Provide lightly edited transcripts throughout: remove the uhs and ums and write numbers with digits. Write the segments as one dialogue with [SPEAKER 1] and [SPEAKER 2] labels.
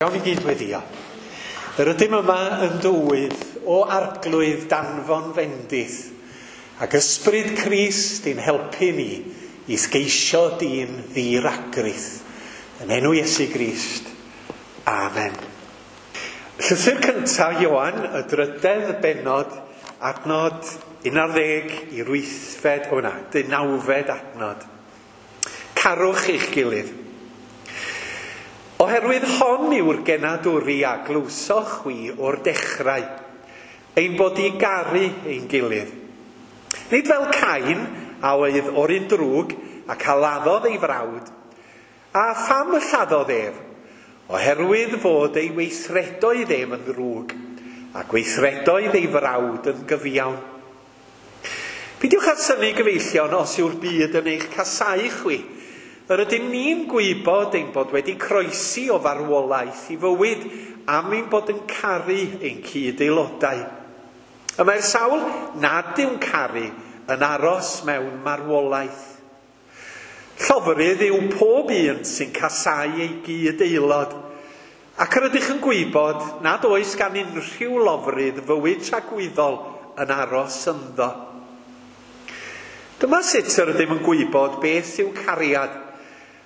[SPEAKER 1] Gawn ni gyd weddio. Yr ydym yma yn dywydd o arglwydd danfon fendith ac ysbryd Crist i'n helpu ni i sgeisio dyn ddiragrith. Yn enw Iesu Grist. Amen. Llythyr cyntaf Ioan, y drydedd bennod, adnod 11 i'r wythfed, o na, deunawfed adnod. Carwch eich gilydd. Oherwydd hon yw'r genadwri a glywsoch chwi o'r dechrau, ein bod i garu ein gilydd. Nid fel Cain, a oedd o'r un drwg ac a laddodd ei frawd, a pham y lladdodd ef? Oherwydd fod ei weithredoedd ef yn ddrwg, a gweithredoedd ei frawd yn gyfiawn. Peidiwch â synnu gyfeillion os yw'r byd yn eich casáu chwi. Yr ydym ni'n gwybod ein bod wedi croesi o farwolaeth i fywyd am ein bod yn caru ein cyd-aelodau. Y mae'r sawl nad yw'n caru yn aros mewn marwolaeth. Llofrudd yw pob un sy'n casáu ei gyd-aelod, ac yr ydych yn gwybod nad oes gan unrhyw lofrudd fywyd tragwyddol yn aros ynddo. Dyma sut yr ydym yn gwybod beth yw cariad,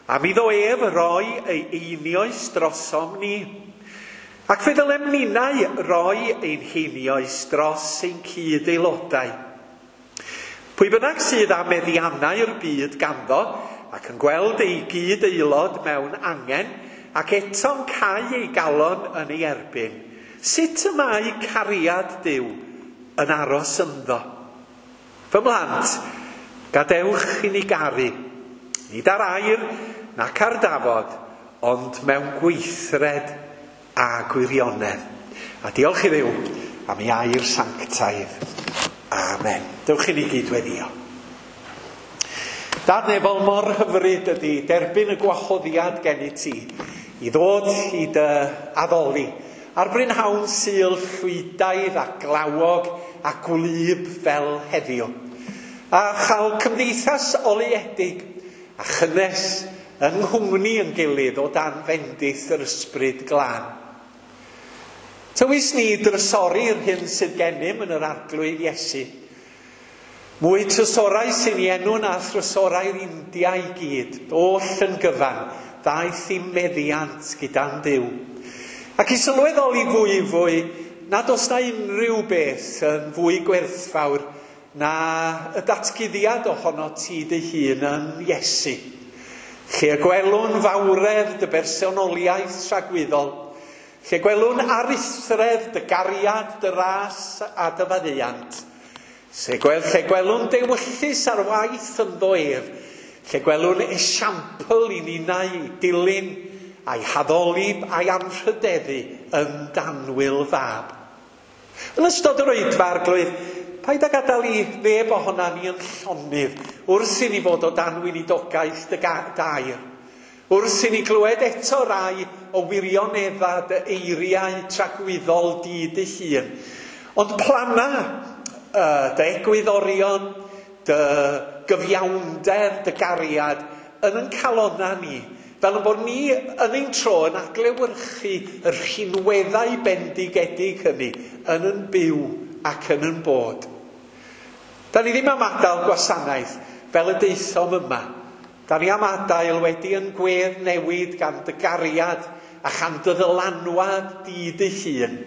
[SPEAKER 1] am iddo ef roi ei einioes drosom ni. Ac fe ddylem ninnau roi ein heinioes dros ein cyd-aelodau. Pwy bynnag sydd â meddiannau'r byd ganddo ac yn gweld ei gyd-aelod mewn angen ac eto'n cau ei galon yn ei erbyn, sut y mae cariad Duw yn aros ynddo? Fy mhlant, gadewch i ni garu, nid ar air nac ar dafod, ond mewn gweithred a gwirionedd. A diolch i Dduw am ei air sanctaidd. Amen. Dewch i ni gyd weddio. Dad nefol, mor hyfryd ydy derbyn y gwahoddiad gennyt ti i ddod i dy addoli ar brynhawn Sul llwydaidd a glawog a gwlyb fel heddiw, a chael cymdeithas oleuedig a chynnes yng nghwmni yn gilydd o dan fendith yr ysbryd glân. Tywys ni drysori'r hyn sydd gennym yn yr Arglwydd Iesu. Mwy trysorau sy'n ei enw na thrysorau'r India i gyd, oll yn gyfan, ddaeth i meddiant gyda'n Duw. Ac i sylweddoli fwy fwy nad oes na unrhyw beth yn fwy gwerthfawr na y datguddiad ohono ti dy hun yn Iesu. Lle y gwelwn fawredd dy bersonoliaeth tragwyddol, lle gwelwn aruthredd dy gariad, dy ras a dy faddeuant, lle gwelwn dewyllys ar waith ynddo ef, lle gwelwn esiampl i ninnau i dilyn a'i haddoli a'i anrhydeddu yn danwyl fab. Yn ystod yr oedfa, Arglwydd, paid â gadael i neb ohona ni yn llonydd wrth i ni fod o dan weinidogaeth dy dair. Wrth i ni glywed eto rai o wirionedda dy eiriau tragwyddol di dy hun. Ond plana dy egwyddorion, dy gyfiawnder, dy gariad yn yn calonna ni, fel yn bod ni yn ein tro yn adlewyrchu y rhinweddau bendigedig hynny yn yn byw ac yn yn bod. Da ni ddim am adael gwasanaeth fel y daethom yma. Da ni am adael wedi yn gwedd newid gan dy gariad a chan dy ddylanwad di dy hun.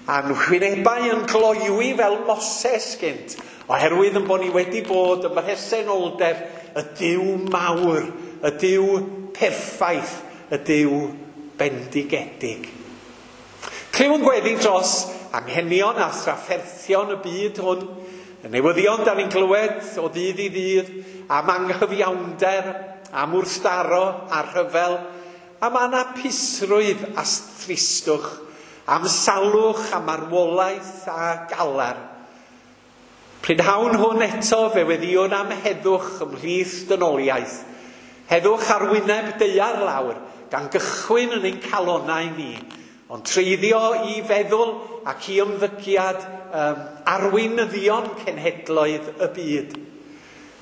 [SPEAKER 1] A'n hwynebau yn gloywi fel Moses gynt, oherwydd yn bod ni wedi bod ym mhresenoldeb y Duw mawr, y Duw perffaith, y Duw bendigedig. Clywn gweddi dros anghenion a thrafferthion y byd hwn, y newyddion da ni'n clywed o ddydd i ddydd, am anghyfiawnder, am wrthdaro a rhyfel, am anapusrwydd a thristwch, am salwch, am marwolaeth a galar. Prynhawn hwn eto fe weddïwn am heddwch ymhlith dynoliaeth, heddwch ar wyneb daear lawr, gan gychwyn yn ein calonnau ni, ond treiddio i feddwl ac i ymddygiad arweinyddion cenhedloedd y byd.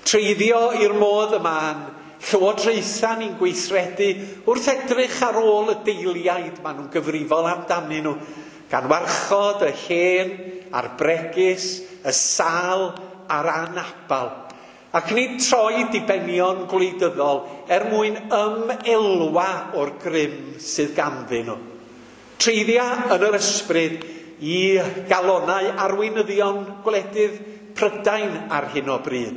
[SPEAKER 1] Treiddio i'r modd yma'n llywodraethau ni'n gweithredu wrth edrych ar ôl y deiliaid maen nhw'n gyfrifol amdanyn nhw, gan warchod y hen a'r bregus, y sâl a'r anabal. Ac nid troi dibenion gwleidyddol er mwyn ymelwa o'r grym sydd ganddyn nhw. Treiddia yn yr ysbryd i galonau arweinyddion gwledydd Prydain ar hyn o bryd.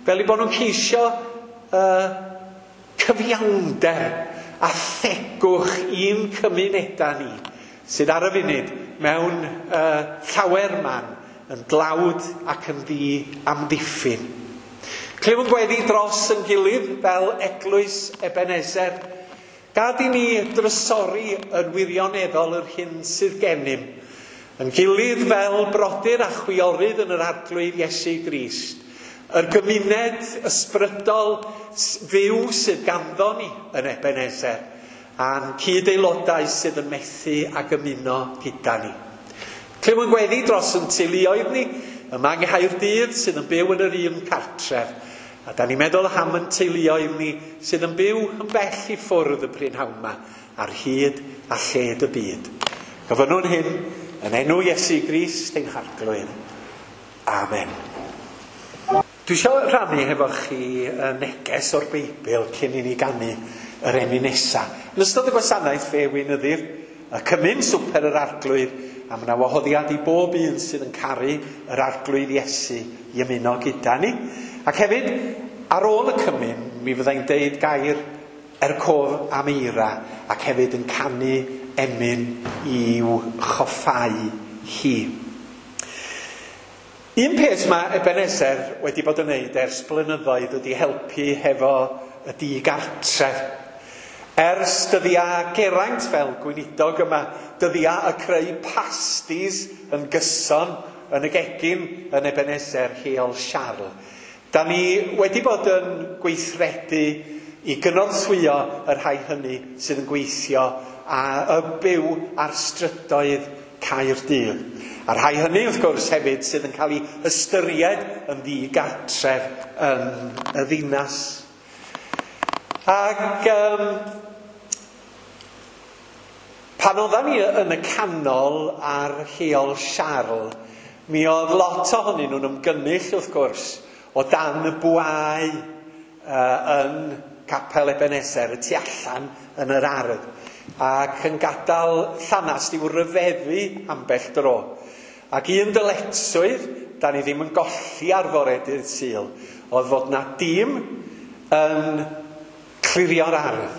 [SPEAKER 1] Fel eu bod nhw'n ceisio cyfiawnder a thegwch i'n cymunedau ni, sydd ar y funud mewn llawer man yn dlawd ac yn ddi-amddiffyn. Clywn gweddi dros yn gilydd fel Eglwys Ebenezer. Gad i ni drysori yn wirioneddol yr hyn sydd gennym, yn gilydd fel brodyr a chwiorydd yn yr Arglwydd Iesu Grist, yr gymuned ysbrydol fyw sydd ganddo ni yn Ebenezer, a'n cyd-aelodau sydd yn methu ag ymuno gyda ni. Clywn gweddi dros yn teuluoedd ni, yma yng Nghaerdydd sydd yn byw yn yr un cartref, a da ni'n meddwl am yn teuluoedd ni sydd yn byw yn bell i ffwrdd y prynhawn yma, ar hyd a lled y byd. Gofynnwn hyn yn enw Iesu Grist ein Harglwydd. Amen. Dwi eisiau rhannu hefo chi y neges o'r Beibl cyn i ni ganu yr emyn nesa. Yn ystod y gwasanaeth fe weinyddir y cymun swper yr Arglwydd, a mae yna wahoddiad i bob un sydd yn caru yr Arglwydd Iesu i ymuno gyda ni. Ac hefyd, ar ôl y cymun, mi fyddai'n deud gair er cof am Eira, ac hefyd yn canu emyn i'w choffau hi. Un peth mae Ebenezer wedi bod yn neud ers blynyddoedd ydy helpu hefo y digartref. Ers dyddiau Geraint fel gweinidog yma, dyddiau y creu pastis yn gyson yn y gegin yn Ebenezer Heol Siarl. Da ni wedi bod yn gweithredu i gynorthwyo y rhai hynny sydd yn gweithio a y byw ar strydoedd Caerdydd. A rhai hynny, wrth gwrs, hefyd sydd yn cael ei ystyried yn ddigartref yn y ddinas. Ac pan oeddan ni yn y canol ar Heol Siarl, mi oedd lot ohonyn nhw'n ymgynnull, wrth gwrs, o dan y bwâu yn Capel Ebenezer, y tu allan yn yr ardd, ac yn gadael llanast i'w ryfeddu ambell dro. Ac un dyletswydd, da ni ddim yn golli ar fore dydd Sul, oedd fod na dîm yn clirio'r ardd.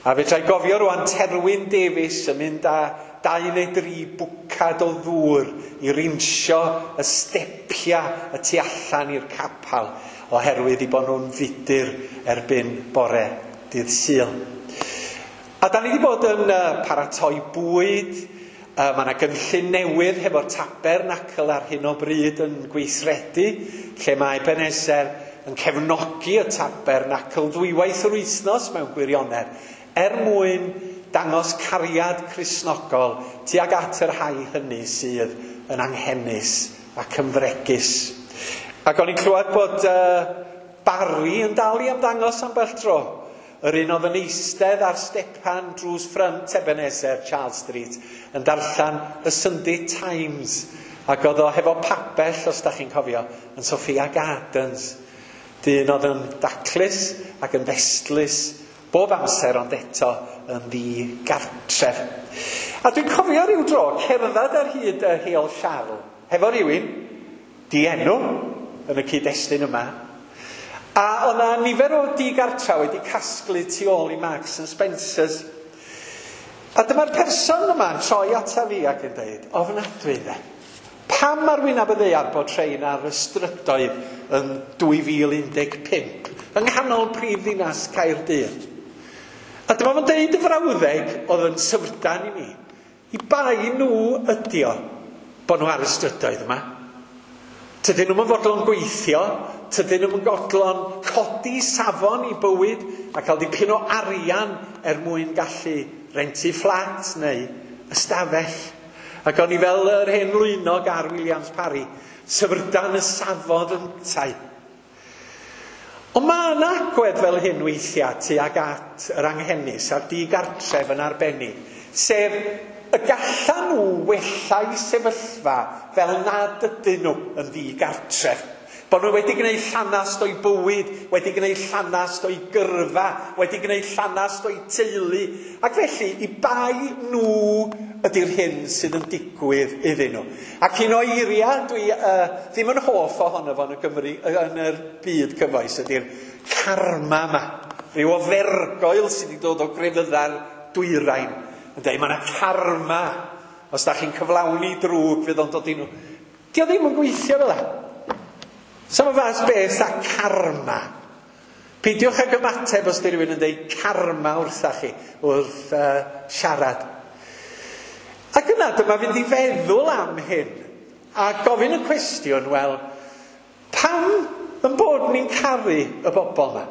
[SPEAKER 1] A fedra i gofio rwan Terwyn Davies yn mynd â 2 neu 3 bwcad o ddŵr i rinsio y stepiau y tu allan i'r capel, oherwydd i bod nhw'n fudur erbyn bore dydd Sul. A da ni wedi bod yn paratoi bwyd. Mae yna gynllun newydd hefo'r tabernacl ar hyn o bryd yn gweithredu, lle mae Ebenezer yn cefnogi y tabernacl ddwywaith yr wythnos mewn gwirionedd, er mwyn dangos cariad Cristnogol tuag at y rhai hynny sydd yn anghenus ac yn fregus. Ac o'n i'n clywed bod Barry yn dal i ymddangos ambell tro. Yr un oedd yn eistedd ar stepan drws ffrynt Ebenezer, Charles Street, yn darllen y Sunday Times. Ac oedd o hefo pabell, os da chi'n cofio, yn Sophia Gardens. Dyn oedd yn daclus ac yn ddestlus bob amser, ond eto yn ddigartref. A dwi'n cofio rhyw dro cerdded ar hyd y Heol Siarl hefo rhywun dienw yn y cyd-destun yma. A oedd yna nifer o digartra wedi casglu tu ôl i Marks and Spencers. A dyma'r person yma'n troi ata fi ac yn dweud, ofnadwy dde, pam ar wyneb y ddaear bod rhein ar y strydoedd yn 2015, yng nghanol prif ddinas Caerdydd? A dyma fo'n deud y frawddeg oedd yn syfrdan i mi. I bai nhw ydi o bod nhw ar y strydoedd yma. Tydyn nhw'm yn fodlon gweithio, tydyn nhw'm yn fodlon codi safon i bywyd a cael dipyn o arian er mwyn gallu rentu fflat neu ystafell. Ac o'n i fel yr hen lwynog ar Williams Parry, syfrdan y safodd yntau. Ond mae yna agwedd fel hyn weithiau tuag at yr anghenus a'r digartref yn arbennig, sef y gallan nhw wella'u sefyllfa fel nad ydyn nhw yn ddigartref. Bod nhw wedi gwneud llanast o'i bywyd, wedi gwneud llanast o'i gyrfa, wedi gwneud llanast o'i teulu. Ac felly, i bai nhw ydy'r hyn sydd yn digwydd iddyn nhw. Ac un o eiriau dwi ddim yn hoff ohono fo yn y Gymru, yn yr byd cyfoes, ydy'r karma yma. Rhyw ofergoel sydd wedi dod o grefyddau'r dwyrain. Yn dweud, mae yna karma. Os da chi'n cyflawni drwg, fydd o'n dod i nhw. Dio ddim yn gweithio fel 'na. Sa'm y fath beth a karma. Peidiwch ag ymateb os di rhywun yn dweud karma wrtha chi, wrth siarad. Ac yna dyma fynd i feddwl am hyn a gofyn y cwestiwn, wel, pam yn bod ni'n caru y bobl yma?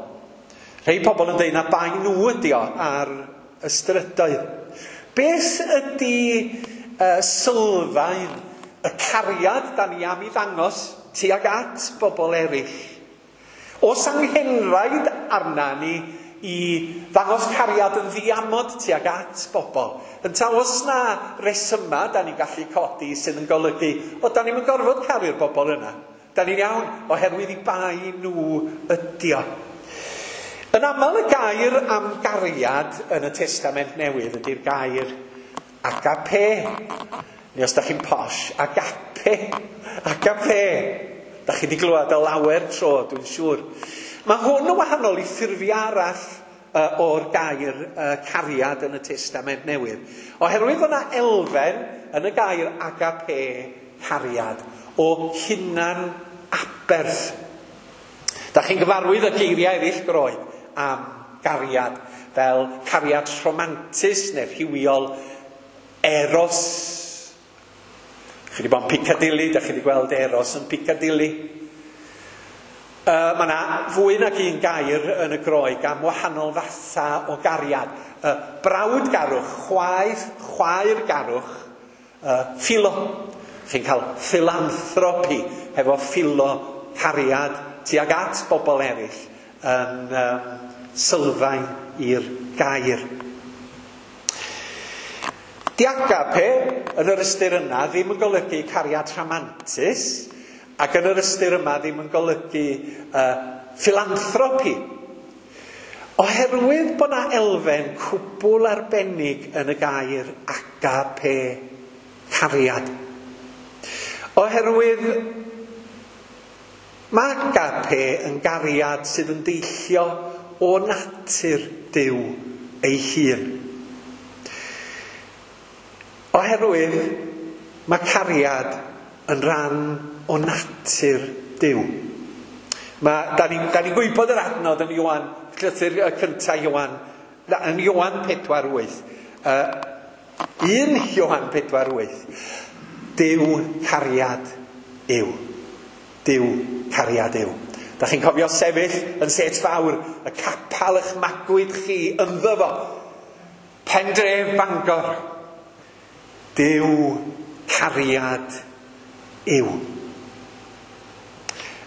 [SPEAKER 1] Rhai pobl yn dweud na bai nhw ydi o ar y strydoedd. Beth ydy sylfaen y cariad da ni am i ddangos tuag at bobl eraill? Oes anghenraid arna ni i ddangos cariad yn ddiamod tuag at bobl? Ynta oes na resyma da ni'n gallu codi sydd yn golygu, o, da ni'n gorfod caru'r bobl yna. Da ni'n iawn oherwydd i bai nhw ydi o. Yn aml y gair am gariad yn y Testament Newydd ydy'r gair agape. Neu os da chi'n posh, agape. Agape. Da chi wedi glywed o lawer tro, dwi'n siŵr. Mae hwn yn wahanol i ffurfiau arall o'r gair cariad yn y Testament Newydd. Oherwydd fod yna elfen yn y gair agape, cariad, o hunan aberth. Da chi'n gyfarwydd y geiriau eraill Groeg am gariad, fel cariad rhomantus neu rhywiol, eros. Chi wedi bod yn Piccadilly, da chi wedi gweld eros yn Piccadilly. Mae yna fwy nag un gair yn y Groeg am wahanol fatha o gariad. Brawdgarwch, chwaergarwch, philo. Chi'n cael philanthropy hefo philo, cariad tuag at bobl eraill yn sylfaen i'r gair. Di agape yn yr ystyr yna ddim yn golygu cariad rhamantus, ac yn yr ystyr yma ddim yn golygu philanthropy. Oherwydd bod yna elfen cwbl arbennig yn y gair agape, cariad. Oherwydd mae agape yn gariad sydd yn deillio o natur Duw ei hun. Oherwydd mae cariad yn rhan o natur Duw. Da ni'n gwybod yr adnod yn Ioan, llythyr cyntaf Ioan, yn Ioan 4:8. 1 Ioan 4:8. Duw cariad yw. Duw cariad yw. Da chi'n cofio sefyll yn set fawr, y capal eich magwyd chi ynddo fo. Pendref Bangor. Duw cariad yw.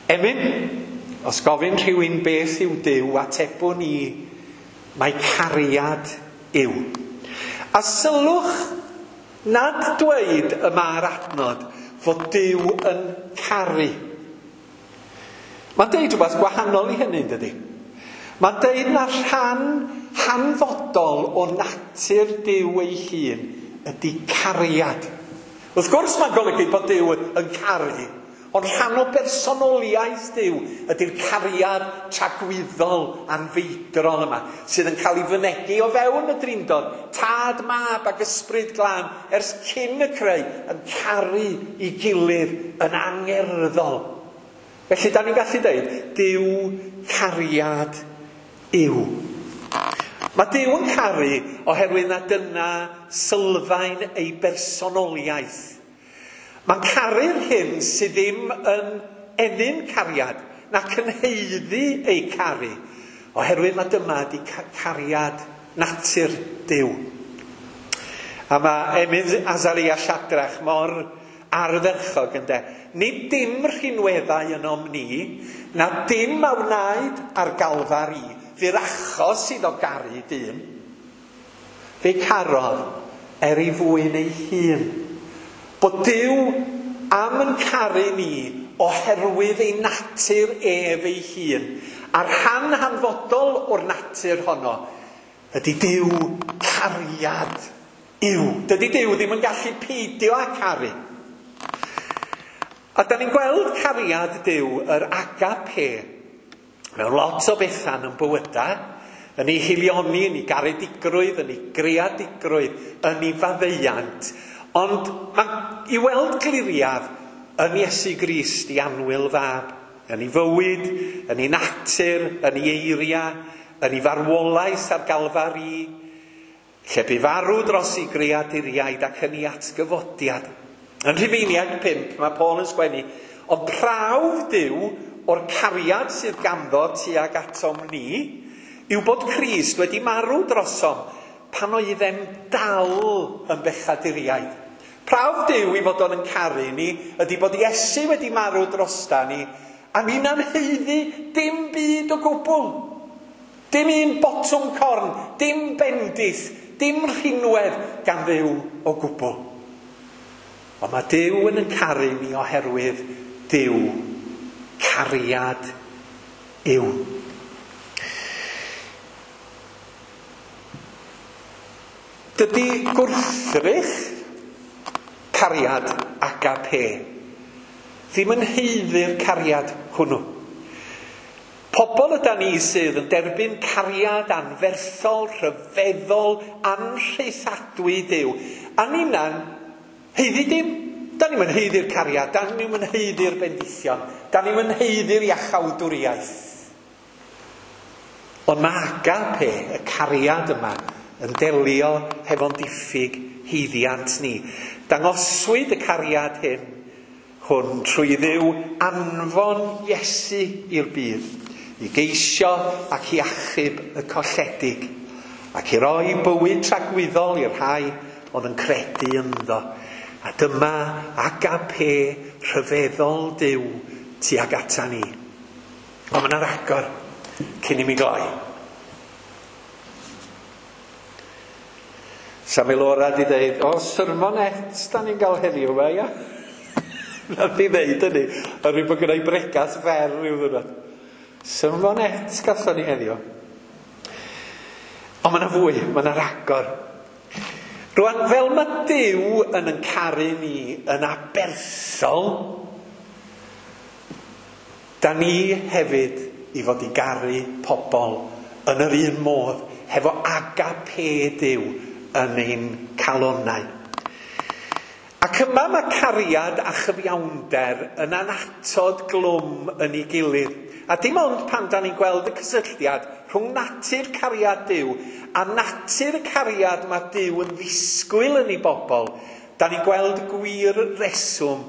[SPEAKER 1] Emyn, os gofyn rhywun beth yw Duw, atebwn ni, mae cariad yw. A sylwch nad dweud y mae'r adnod fod Duw yn caru. Mae'n deud rhywbeth gwahanol i hynny, dydy. Mae'n deud na rhan hanfodol o natur Duw ei hun ydy cariad. Wrth gwrs mae'n golygu bod Duw yn caru, ond rhan o bersonoliaeth Duw ydy'r cariad tragwyddol anfeidrol yma, sydd yn cael ei fynegi o fewn y Drindod, Tad, Mab ac Ysbryd Glân, ers cyn y creu, yn caru i gilydd yn angerddol. Felly, da ni'n gallu dweud, Duw cariad yw. Mae Duw yn caru oherwydd na dyna sylfaen ei bersonoliaeth. Mae'n caru'r hyn sydd ddim yn ennyn cariad, na cynheiddi ei caru, oherwydd mae dyma di cariad natur Duw. A mae Emyn Azaria Siadrach mor ardderchog ynde, Nid dim rhinweddau ynom ni, na dim a wnaed ar Galfari, fu'r achos iddo garu dyn. Fe carodd er ei fwyn ei hun. Bod Duw am yn caru ni oherwydd ei natur ef ei hun. A'r rhan hanfodol o'r natur honno ydy Duw cariad yw. Dydy Duw ddim yn gallu peidio â caru. A da ni'n gweld cariad Duw, yr agape, mewn lot o bethau yn bywydau, yn ei hilioni, yn ei garedigrwydd, yn ei greadigrwydd, yn ei faddeuant. Ond mae i weld gliriaf yn Iesu Grist i annwyl fab, yn ei fywyd, yn ei natur, yn ei eiriau, yn ei farwolaeth ar Galfari, lle bu farw dros ei greaduriaid ac yn ei atgyfodiad. Yn Rhufeiniaid 5, mae Paul yn sgwennu, ond prawf Duw o'r cariad sydd ganddo tuag atom ni yw bod Crist wedi marw drosom pan oeddem dal yn bechaduriaid. Prawf Duw i fod o'n yn caru ni ydy bod Iesu wedi marw drosta ni a ni'n haeddu dim byd o gwbl. Dim un botwm corn, dim bendith, dim rhinwedd gan Dduw o gwbl. Ond mae Duw yn caru ni oherwydd Duw cariad yw. Dydy gwrthrych cariad agape ddim yn haeddu'r cariad hwnnw. Pobl yda ni sydd yn derbyn cariad anferthol, rhyfeddol, anrhaethadwy Duw. A ninna'n haeddu dim. Da ni'm yn haeddu'r cariad, da ni'm yn haeddu'r bendithion, da ni'm yn haeddu'r iachawdwriaeth. Ond mae agape, y cariad yma, yn delio hefo'n diffyg haeddiant ni. Dangoswyd y cariad hwn trwy Dduw anfon Iesu i'r byd, i geisio ac i achub y colledig, ac i roi bywyd tragwyddol i'r rhai oedd yn credu ynddo. A dyma agape rhyfeddol Duw tuag ata ni. Ond mae yna ragor cyn i mi gloi. Sami Laura di ddeud, o, sermonet da ni'n gael heddiw yma, ia? Nath i ddeud hynny, a rwy'n bod gyda'i bregas fer rhyw ddwrnod. Sermonet gathon ni heddiw. Ond mae yna fwy, mae yna ragor. Rwan, fel mae Duw yn caru ni yn aberthol, da ni hefyd i fod i garu pobl yn yr un modd, hefo agape Duw yn ein calonnau. Ac yma mae cariad a chyfiawnder yn annatod glwm yn ei gilydd. A dim ond pan da ni'n gweld y cysylltiad rhwng natur cariad Duw a natur y cariad mae Duw yn ddisgwyl yn ei bobl, da ni'n gweld gwir reswm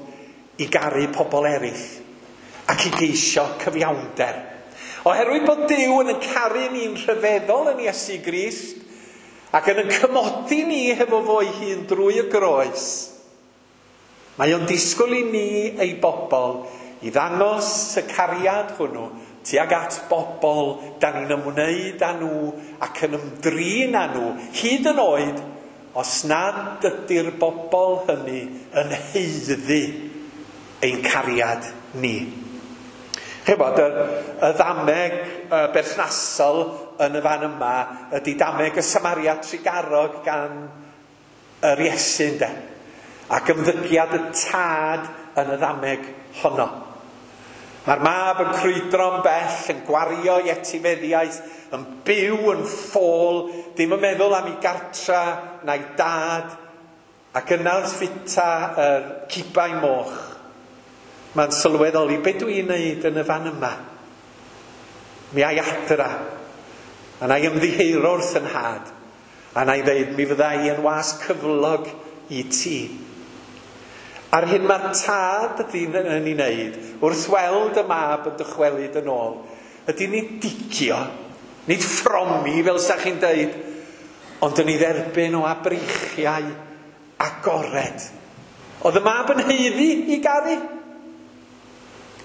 [SPEAKER 1] i garu pobl eraill ac i geisio cyfiawnder. Oherwydd bod Duw yn caru ni'n rhyfeddol yn Iesu Grist ac yn cymodi ni hefo fo'i hun drwy y groes, mae o'n disgwyl i ni ei bobl i ddangos y cariad hwnnw tuag at bobl da ni'n ymwneud â nhw ac yn ymdrin â nhw, hyd yn oed os nad ydy'r bobl hynny yn haeddu ein cariad ni. Chibod, y ddameg berthnasol yn y fan yma ydy dameg y Samaria Trugarog gan yr Iesu, ynde? Ac ymddygiad y tad yn y ddameg honno. Mae'r mab yn crwydro'n bell, yn gwario ei etifeddiaeth, yn byw yn ffôl, ddim yn meddwl am ei gartra na'i dad, ac yna wrth fita yr cibau moch, mae'n sylweddoli, be dwi'n neud yn y fan yma? Mi ai adra, a na i ymddiheuro wrth yn nhad, a na i ddeud, mi fydda i yn was cyflog i ti. A'r hyn mae'r tad ydy'n yn ei wneud, wrth weld y mab yn dychwelyd yn ôl, ydy nid digio, nid ffromi fel sa chi'n deud, ond yn ei dderbyn o abreichiau agored. Oedd y mab yn haeddu i garu?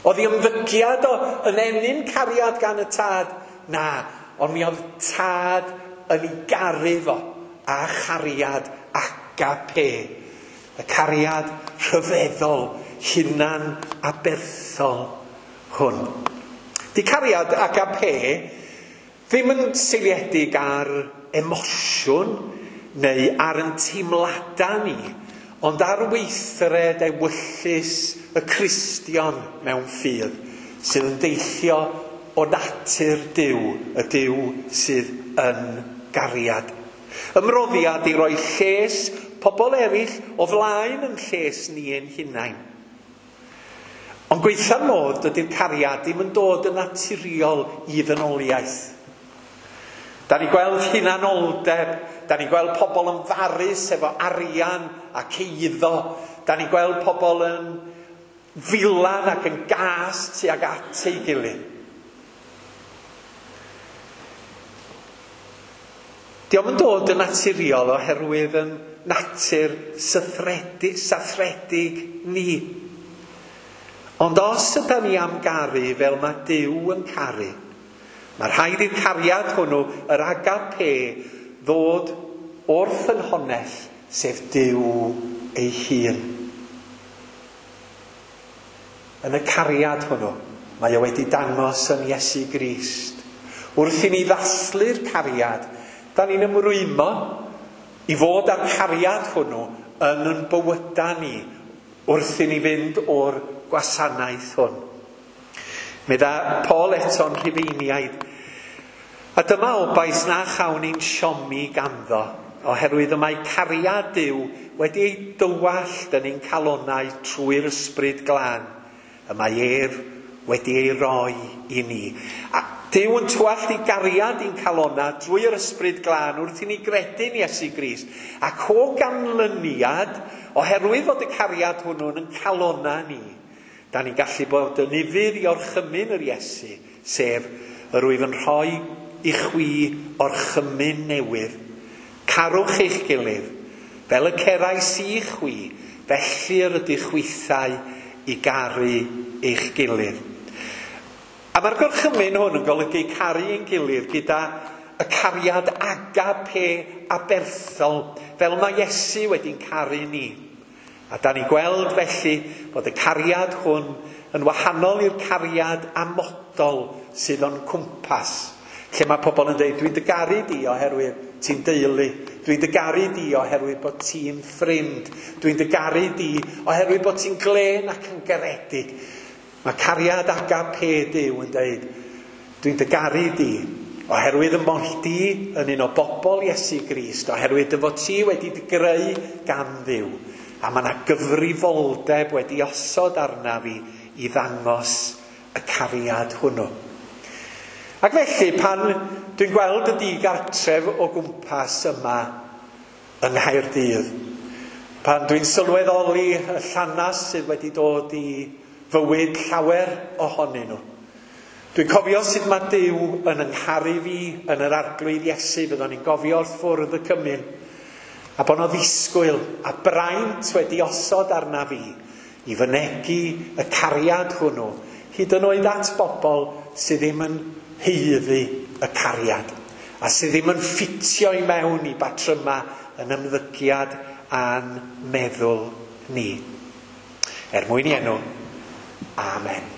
[SPEAKER 1] Oedd ei ymddygiad o yn ennyn cariad gan y tad? Na, ond mi oedd tad yn ei garu fo a chariad agape. Y cariad rhyfeddol, hunan aberthol hwn. Di cariad agape ddim yn seiliedig ar emosiwn neu ar yn teimladau ni, ond ar weithred ewyllys y Cristion mewn ffydd, sydd yn deillio o natur Duw, y Duw sydd yn gariad. Ymroddiad i roi lles pobl eraill o flaen yn lles ni ein hunain. Ond gweitha'r modd, dydy'r cariad ddim yn dod yn naturiol i ddynoliaeth. Da ni gweld hunanoldeb, da ni gweld pobl yn farus efo arian ac eiddo, da ni gweld pobl yn filan ac yn gas tuag at ei gilydd. Dio'm yn dod yn naturiol oherwydd yn natur sathredig ni. Ond os yda ni am garu fel mae Duw yn caru, mae rhaid i'r cariad hwnnw, yr agape, ddod o'r ffynhonnell, sef Duw ei hun. Yn y cariad hwnnw, mae o wedi dangos yn Iesu Grist. Wrth i ni ddathlu'r cariad, da ni'n ymrwymo i fod â'r cariad hwnnw yn ein bywydau ni wrth i ni fynd o'r gwasanaeth hwn. Medda Paul eto'n Rhufeiniaid, a dyma obaith na chawn ni'n siomi ganddo, oherwydd y mae cariad Duw wedi ei dywallt yn ein calonnau trwy'r ysbryd glân, y mae ef wedi ei roi i ni. A Duw yn tywallt ei gariad i'n calonnau drwy'r ysbryd glân wrth i ni gredu'n Iesu Grist. Ac o ganlyniad, oherwydd fod y cariad hwnnw'n yn calonnau ni, da ni'n gallu bod yn ufudd i orchymyn yr Iesu, sef yr wyf yn rhoi i chwi orchymyn newydd. Carwch eich gilydd, fel y cerais i chwi, felly yr ydych chwithau i garu eich gilydd. A mae'r gorchymyn hwn yn golygu caru ein gilydd gyda y cariad agape aberthol, fel mae Iesu wedi'n caru ni. A da ni gweld felly bod y cariad hwn yn wahanol i'r cariad amodol sydd o'n cwmpas. Lle mae pobl yn dweud, dwi'n dy garu di oherwydd ti'n deulu, dwi'n dy garu di oherwydd bod ti'n ffrind, dwi'n dy garu di oherwydd bod ti'n glên ac yn garedig. Mae cariad agape Duw yn dweud, dwi'n dy garu di oherwydd y mod di yn un o bobl Iesu Grist, oherwydd dy fod ti wedi dy greu gan Dduw. A mae yna gyfrifoldeb wedi osod arna fi i ddangos y cariad hwnnw. Ac felly, pan dwi'n gweld y digartref o gwmpas yma yng Nghaerdydd, pan dwi'n sylweddoli y llanas sydd wedi dod i fywyd llawer ohonyn nhw, dwi'n cofio sut mae Duw yn yngharu fi yn yr Arglwydd Iesu, fyddwn ni'n gofio wrth fwrdd y cymun, a bod 'na ddisgwyl a braint wedi osod arna fi i fynegi y cariad hwnnw, hyd yn oed at bobl sydd ddim yn haeddu y cariad, a sydd ddim yn ffitio i mewn i batryma yn ymddygiad a'n meddwl ni. Er mwyn i enw, amen.